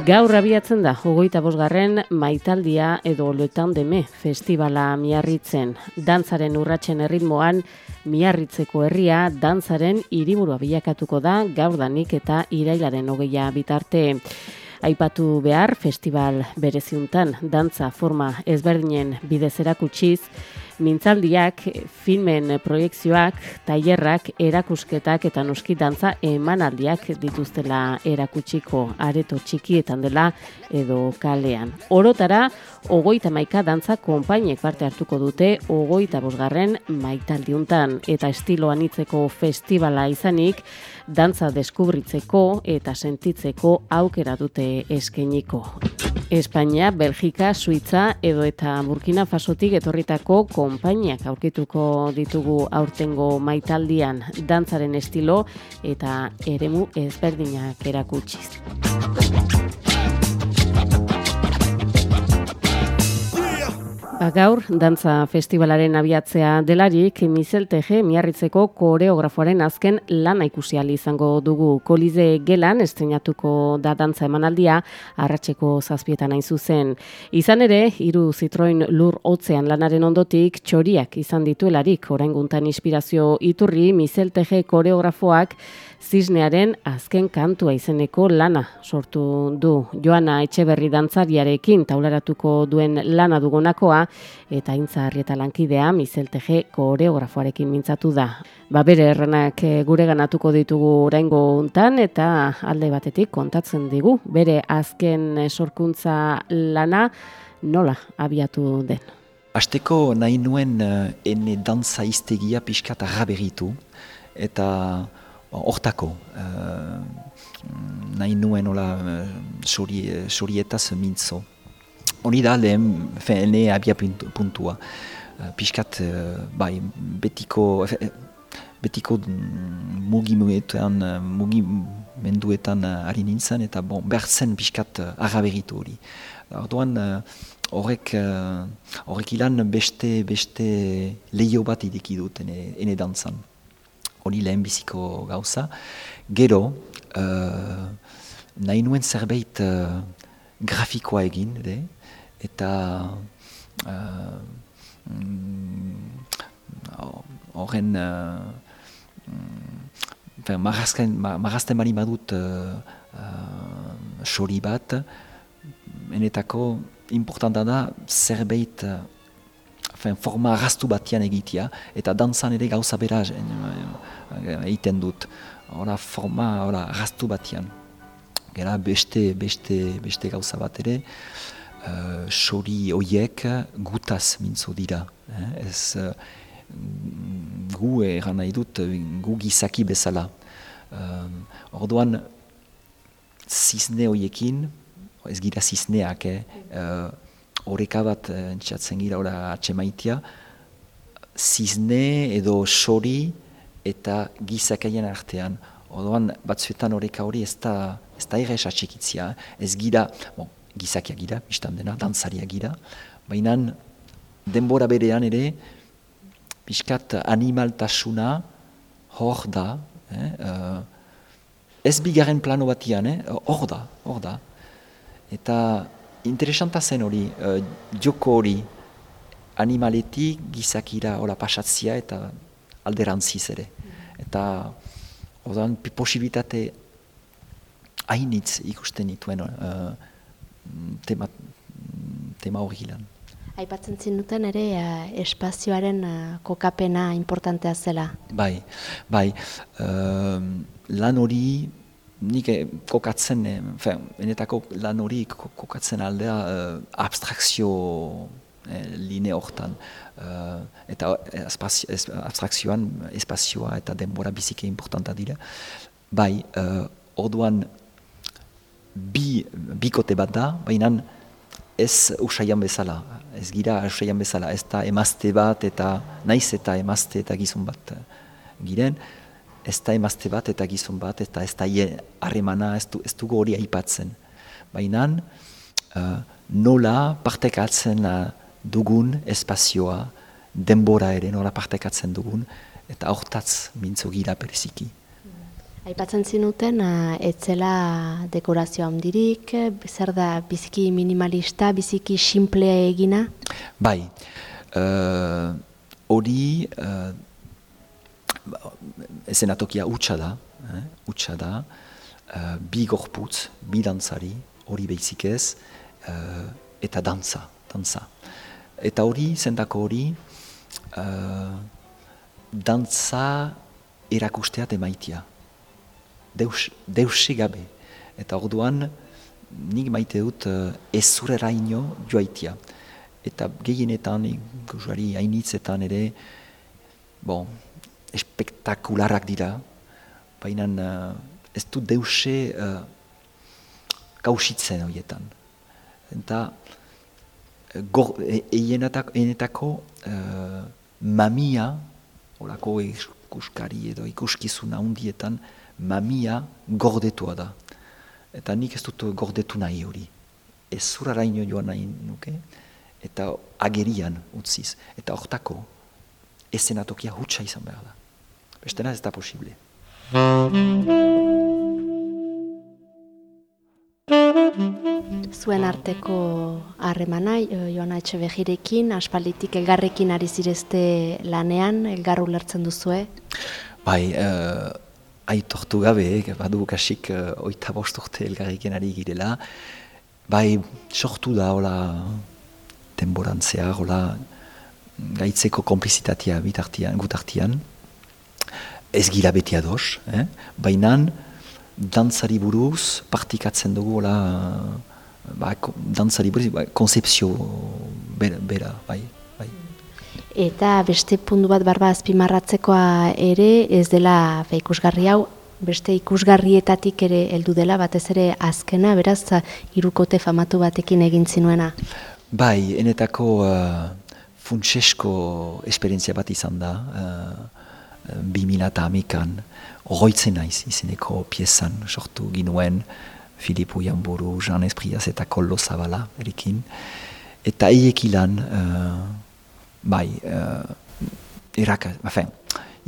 Gaur abiatzen da, 25. maitaldia edo Le Temps d'Aimer festivala Miarritzen. Dantzaren urratsen erritmoan, Miarritzeko herria dantzaren hiriburua bilakatuko da gaurdanik eta irailaren 20 bitarte. Aipatu behar, festival bereziuntan, dantza forma ezberdinen bidez erakutsiz, mintzaldiak, filmen proiekzioak, tailerrak, erakusketak eta noski dantza emanaldiak dituztela erakutsiko areto txikietan dela edo kalean. Orotara, 31 dantza konpainek parte hartuko dute 25. maitaldiuntan eta estilo anitzeko festivala izanik, dantza deskubritzeko eta sentitzeko aukera dute eskainiko. Espainia, Belgika, Suitza edo eta Burkina Fasotik etorritako konpainiak aurkituko ditugu aurtengo maitaldian dantzaren estilo eta eremu ezberdinak erakutsiz. Gaur, dantza festivalaren abiatzea delarik, Michel Teje Miarritzeko koreografoaren azken lana ikusi ahal izango dugu. Kolize gelan estreinatuko da dantza emanaldia, arratseko 7 hain zuzen. Izan ere, 3 Citroën lur hotzean lanaren ondotik txoriak izan dituelarik, orainguntan inspirazio iturri Michel Teje koreografoak Zisnearen azken kantua izeneko lana sortu du. Joana Etxeberri dantzariarekin taularatuko duen lana dugunakoa eta Aintza Arrieta lankidea Michel Teje koreografoarekin mintzatu da. Bere erranak gureganatuko ditugu oraingo hontan eta alde batetik kontatzen digu bere azken sorkuntza lana nola abiatu den. Hasteko nahi nuen ene dantza hiztegia pixkat arraberitu eta hortako, nahi nuen sorietaz mintzo. Hori da lehen, ene abia puntua. Piskat, betiko mugimenduetan ari nintzen, eta behar zen piskat arraberitu hori. Orduan, horrek ilan beste lehio bat ideki dut ene dantzan. Hori lehen biziko gauza. Gero, nahi nuen zerbait grafikoa egin, eta horren marrazten bali badut sori bat, enetako importanta da zerbait forma arrastu batian egitea, eta dantzan ere gauza bera egiten dut. Forma arrastu batian. Gera beste gauza bat ere, sori hoiek gutaz mintzo dira. Gu eran nahi dut, gu gizaki bezala. Orduan, zizne hoiekin, ez gira zizneak, horreka bat entzatzen gira atxemaitia, zizne edo sori eta gizakaien artean. Orduan, batzuetan horreka hori ez da errez atxekitzia. Ez gira, gizakia gira, biztan dena, dantzaria gira, baina denbora berean ere, pixkat animaltasuna hor da, ez bigarren plano batian, hor da. Eta interesanta zen hori, joko hori, animaletik gizakira pasatzia eta alderantziz ere. Eta orduan posibilitate hainitz ikusten dituen tema hori lan. Aipatzen zinuten ere espazioaren kokapena importantea zela. Bai. Lan hori nik kokatzen, enetako lan hori kokatzen aldea abstrakzio line hortan. Eta abstrakzioan espazioa eta denbora bizike importanta dira. Bai, orduan bikote bat da, baina ez usaian bezala. Ez gira usaian bezala, ez da emazte bat eta naiz eta emazte eta gizon bat giren. Ez da emazte bat eta gizon bat, eta ez da harremana, ez dugu hori aipatzen. Baina nola partekatzen dugun espazioa, denbora ere nola partekatzen dugun, eta hortaz mintzo gira bereziki. Aipatzen zinuten, etzela dekorazio handirik, zer da biziki minimalista, biziki simplea egina? Bai, hori ezenatokia hutsa da, bi gorputz, bi dantzari, hori behizik ez, eta dantza. Eta hori, zendako hori, dantza erakusteat emaitia. Deuse gabe. Eta orduan, nik maite dut ezureraino joaitia. Eta gehienetan, ikusari hainitzetan ere, espektakularak dira, baina ez du deuse kausitzen horietan. Eta enetako mamia, olako ikuskari edo ikuskizuna hundietan, mamia gordetua da. Eta nik ez dut gordetu nahi hori. Ez zuraraino joan nahi nuke, eta agerian utziz. Eta hortako, ezenatokia hutsa izan behar da. Bestena ez da posible. Zuen arteko harremana, Joana Etxebegirekin, aspalditik elgarrekin ari zirezte lanean, elgar ulertzen duzue? Bai, aitortu gabe, badu kasik 25 urte elgarrekin ari girela. Bai, sortu da, hola, denborantzea, hola, gaitzeko konplizitatea gutartian. Ez gira beti ados, baina dantzari buruz partikatzen dugu, dantzari buruz, konzepzio bera, bai. Eta beste puntu bat barba azpimarratzekoa ere, ez dela ikusgarri hau, beste ikusgarrietatik ere heldu dela, batez ere azkena, beraz, hirukote famatu batekin egin zinuena. Bai, enetako funtsesko esperientzia bat izan da, 2008an, oroitzen naiz izeneko piezan sortu ginuen Filipu Janburu, Jean Espriaz eta Koldo Zabala erekin. Eta eiekilan, bai,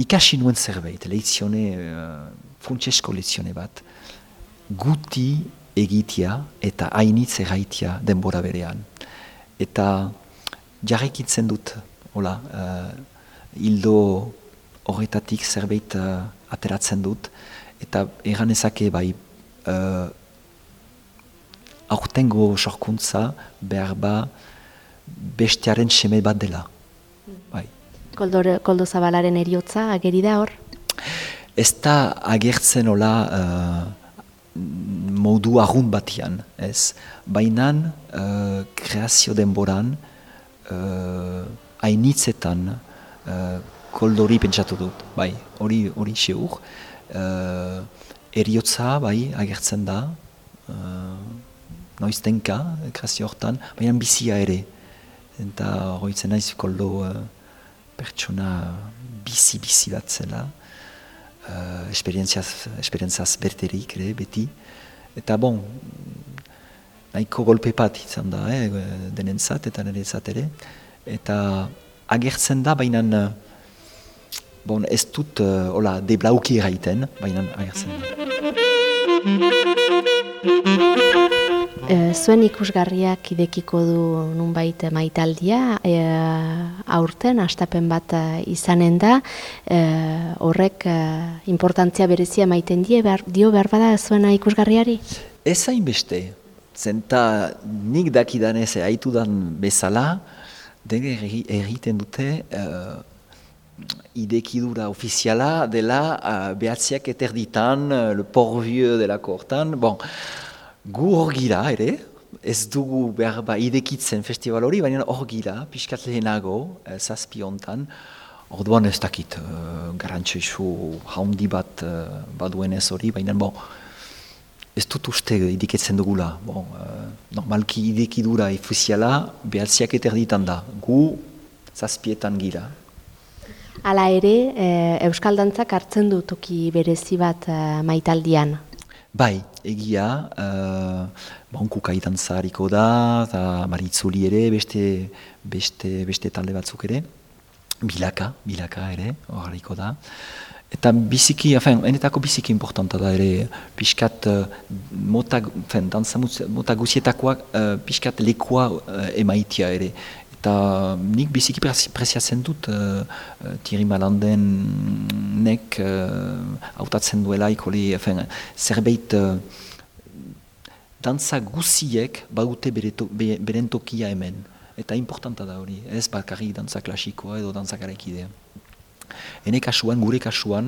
ikasi nuen zerbait, funtsesko lezione bat, guti egitea eta hainitz erraitea denbora berean. Eta jarrikitzen dut, hildo horretatik zerbait ateratzen dut, eta eganezake bai, aurtengo sorkuntza behar bestearen seme bat dela. Bai. Koldo Zabalaren heriotza ageri da hor? Ez da agertzen modu arrun batian, ez? Bainan, kreazio denboran, hainitzetan, Koldori pentsatu dut, bai, hori seur. Heriotza, bai, agertzen da, noiztenka, kreazio hortan, baina bizia ere. Eta horitzen naiz Koldo pertsona bizi bat zela, esperientziaz berterik ere, beti. Eta nahiko golpe bat izan da, denentzat eta niretzat ere. Eta agertzen da, baina ez dut deblauki eraiten, baina agertzen da. Zuen ikusgarriak idekiko du nunbait maitaldia, aurten astapen bat izanen da, horrek importantzia berezia maiten dio behar bada zuena ikusgarriari? Ez hainbeste, zenta nik dakidanez haitudan bezala, dene egiten dute idekidura ofiziala dela behatziak eterditan, le porvieux delako hortan, gu hor gira ere, ez dugu behar idekitzen festival hori, baina hor gira, pixkat lehenago, zazpi hontan, orduan ez dakit, garantxoizu haundi bat baduenez hori, baina ez dut uste idiketzen dugula. Normalki idekidura ofiziala behatziak eterditan da, gu zazpietan gira. Hala ere, Euskal Dantzak hartzen du toki berezi bat maitaldian. Bai, egia, Kukai dantza hariko da, eta Maritzuli ere, beste talde batzuk ere, bilaka ere, hor hariko da. Eta biziki, enetako biziki importanta da ere, pixkat dantza guzietakoak pixkat lekua emaitia ere. Eta nik biziki preziatzen dut Thierry Malandenek hautatzen duela zerbait dantza guziek badute beren tokia hemen. Eta importanta da hori, ez bakarrik dantza klasikoa edo dantza garaikidea. Hene kasuan, gure kasuan,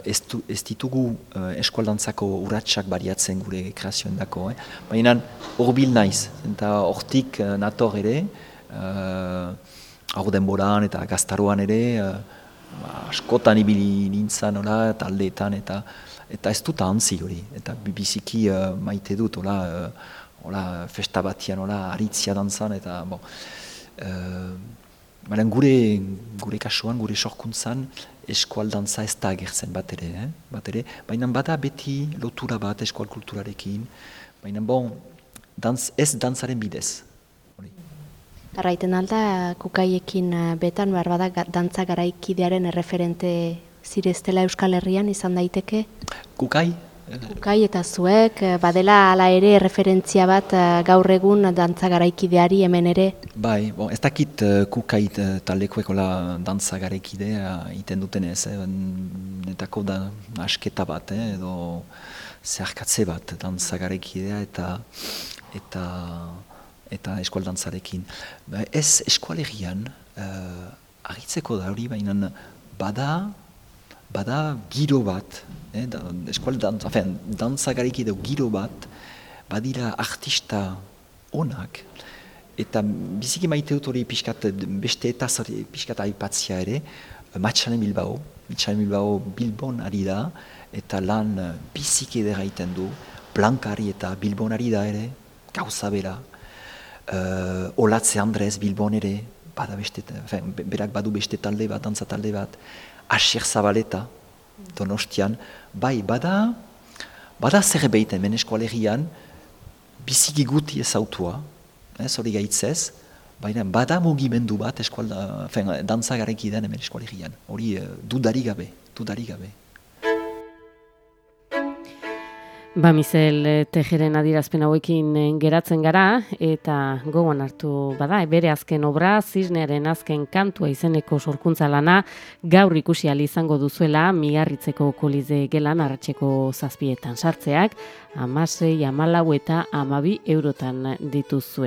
ez ditugu eskualdantzako urratsak bariatzen gure kreazioen dako. Baina horbil naiz, eta hortik nator ere, hor denboran eta gaztaroan ere, askotan ibili nintzen, taldeetan, eta ez dut ahantzi hori. Eta biziki maite dut, festa batian, aritzia dantzan, eta baina gure kasuan, gure sorkuntzan, eskualdantza ez da agertzen bat ere. Baina bada beti lotura bat eskual kulturarekin, baina ez dantzaren bidez. Arraiten alda, kukaiekin betan, behar bada dantza garaikidearen erreferente zireztela Euskal Herrian izan daiteke? Kukai? Kukai eta zuek, badela ala ere referentzia bat gaur egun dantza garaikideari hemen ere? Bai, ez dakit Kukai taldekoek dantza garaikidea iten dutenez, netako da asketa bat, edo zeharkatze bat dantza garaikidea eta eskualdantzarekin. Ez eskualerian agitzeko da hori, baina bada giro bat, dantza garaikideo giro bat, badira artista onak, eta biziki maite dut hori beste eta pixkat aipatzia ere, Matxalen Bilbao Bilbon ari da, eta lan biziki edera iten du, Blankari eta Bilbon ari da ere, gauza bera, Olatze Andrez Bilbon ere, berak badu beste talde bat, dantza talde bat, Asier Zabaleta, Donostian, bai, bada zerbait hemen eskualerian, biziki guti ezautua, hori gaitzez, baina bada mugimendu bat dantza garaikidean hemen eskualerian, hori dudarik gabe. Mizel Tejeren adierazpen hauekin geratzen gara, eta gogoan hartu bada, bere azken obra, Zisnearen azken kantua izeneko sorkuntza lana, gaur ikusi ahal izango duzuela, Miarritzeko Kolize gelan arratseko 7etan sartzeak, 16, 14 eta 12 eurotan dituzue.